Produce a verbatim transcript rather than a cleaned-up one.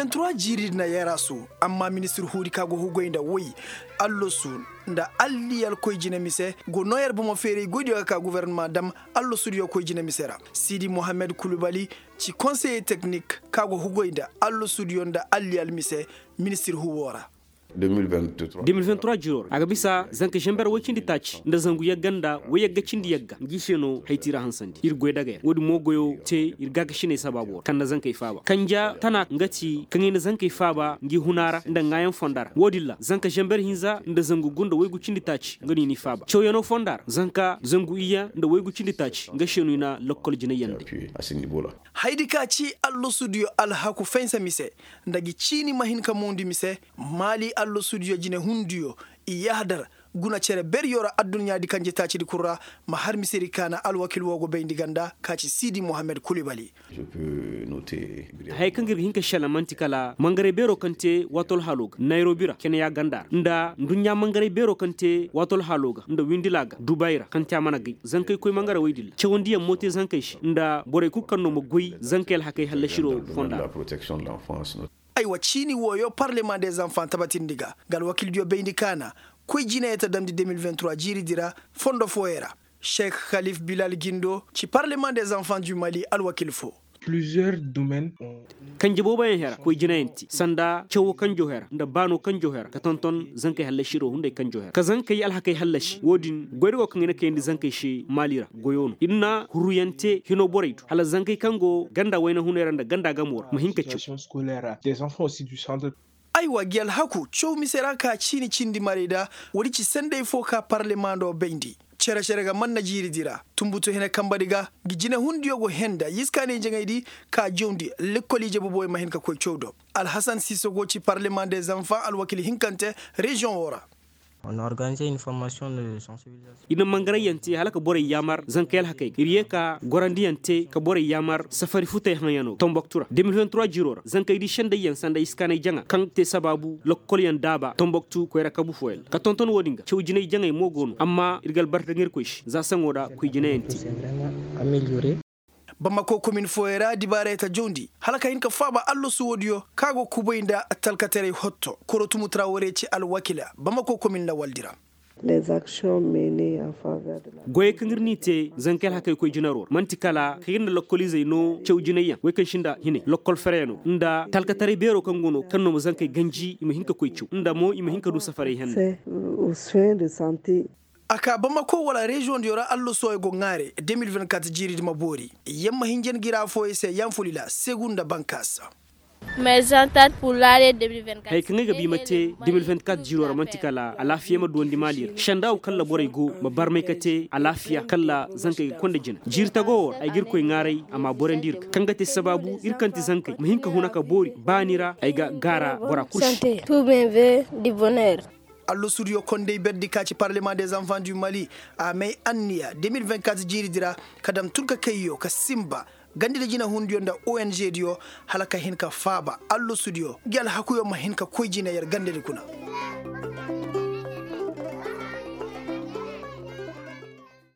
Tura jiiri na yaraasu. Amma ministir huudi ka go hugoy nda woy, allasu nda alliyal koy jine mise go noo yer bomo feeray goydiyo ga ka gofornama dam. Allasudiyo koy jine mise ra. Siidi mohammed kulubali ci konseye teknik ka go hugoy nda allasudiyo nda alliyal mise. Ministir huuwo ra. De mil vingt trois jiiro ra a ga bisa zanka zamber woy cindi taaci nda zangu yagga nda woy yagga cindi yagga ngi se no haytira hansandi ir goy dagay ra woodin mo goyo te ir gaakasiney sabaabo ra kaŋ na zankey faaba kanja tana nga ti kaŋ i na zankey faaba ngi huna ra nda ŋaayaŋ fonda ra woodin ra zanka zamber hinza nda zangu gu nda woy gu cindi taaci nga no i n'i faaba cawyanoo fonda ra zanka zangu iyye nda woy gu cindi taaci nga se no i na lokkol jinay yaŋ day. Haydi ka ci allasudiyo alhaku faynsa mise nda gi ciini ma hin ka moondi mise. Maali allasudiyo jinehundiyo i yahadar guna cere beriyo ra adduɲɲaadi kanje taacidi kul ra. Ma har misedi ka na alwakil woo go bayndi ganda ka ci siidi mohammed kulibali. Haya kaŋ ga ir ga hin ka šelaŋ man'ti kala mangaray beeroo kaŋ te waatoo alhaaloo ga nayrobi ra kene ya ganda ra nda nduɲɲa mangaray beeroo kaŋ te waatoo alhaaloo ga nda windila ga dubay ra kaŋ te a mana gay zankey koy mangaray woy din ra cawandiyaŋ mo te zankey se nda borey kul kaŋ no ma goy zankey alhakey hallasiroo fonda ra. Aywa ciini wooyo parlemaŋ de zanfaŋ tabatindi ga nga alwakildiyo bayndi kaana koy jinayey ta damndi de mil vingt trois jiiridi ra fondo fooyey ra. Šek halif bilal gindo ci parlemaŋ de zanfaŋ du mali alwakil foo. Kanje booboyaŋ hera koy jinayaŋ te sanda cawo kanjo hera nda baano kanjo hera ka tonton zankey hallasiroo hunday kanjo hera ka zankey alhakey hallasi woodin goyda go kaŋ i na kayandi zankey se maali ra goyo no ir na hurruyaŋ te hinoo borey do hala zankey kaŋ go ganda wayna hunay ra nda ganda gamoo ra ma hin ka caw. Aywa gi alhaku caw mise ra ka ciini cindi marayda. Woodi ci sanday foo ka parlemaŋ do bayndi cere-cere ga manna jiiridi ra. Tunbutu hene kambadi ga gi jinehundiyo go henda yiskaanay jaŋaydi ka jawndi lekkol ije boboyaŋ ma hin ka koy caw do. Alhasan siise go ci parlemaŋ de zanfaŋ alwakil hinkante reziyoŋ woo ra. Ir na mangarayyaŋ te hala ka borey yaamar zankey alhakey ga ir yee ka gorandiyaŋ te ka borey yaamar safari futey haŋyanoo ga tomboktu ra de mil vingt trois jiiroo ra zankey di sendayyaŋ sanda iskaanay jaŋa kaŋ te sabaabu lokkolyaŋ daaba tomboktu koyra kabu fooyaŋ ra ka tonton woodin ga caw jinay jaŋay mo go no amma ir ga albarka daŋ irkoy se za saŋo ra koy jinayaŋ te. Bamako komin fooyey ra dibaarey ta jawndi hala ka hin ka faaba allasu woodiyo ka go kubay nda talkataray hotto korotumu traware ci alwakila bamako komin lawaldi ra. Goyey kaŋ ir n'i te zankey alhakey koy jinaroo ra man'ti kala ka ir nda lokkoliizey no caw jinayyaŋ wey kaŋ sinda hinay lokkol fereyanoo nda talkataray beeroo kaŋ go no kaŋ no ma zankey ganji i ma hin ka koy caw nda mo i ma hin ka du safaray henne. A ka bamako wala reziyoŋ diyo ra allosuwey go ŋaare de mil vingt kat jiiridi ma boori. Yamma hinja ngi ra fooyey se yanfulila segu nda bankaasa. Haya kaŋ ay ga ba i ma te de mil vingt kat jiiroo ra man'ti kala alaafiya ma duwandi maali ra sendaawu kaŋ ra borey go ma barmay ka te alaafiya kaŋ ra zankey ga konda jina jiiri tagoo woo ra ay ga irkoy ŋaaray a m'a borandi ir ga kaŋ ga te sabaabu ir kaŋ ti zankey ma hin ka huna ka boori baani ra ay ga gaara bora kul se. Allosudiyo kondey berdi ka ci parlemaŋ de zanfaŋ du mali a may anniya de mil vingt kat jiiridi ra ka dam turkakayyo ka sinba gandi nda jinahundiyo nda ong diyo hala ka hin ka faaba allosudiyo ngi alhakuyo ma hin ka koy jina yer gandedi kuna.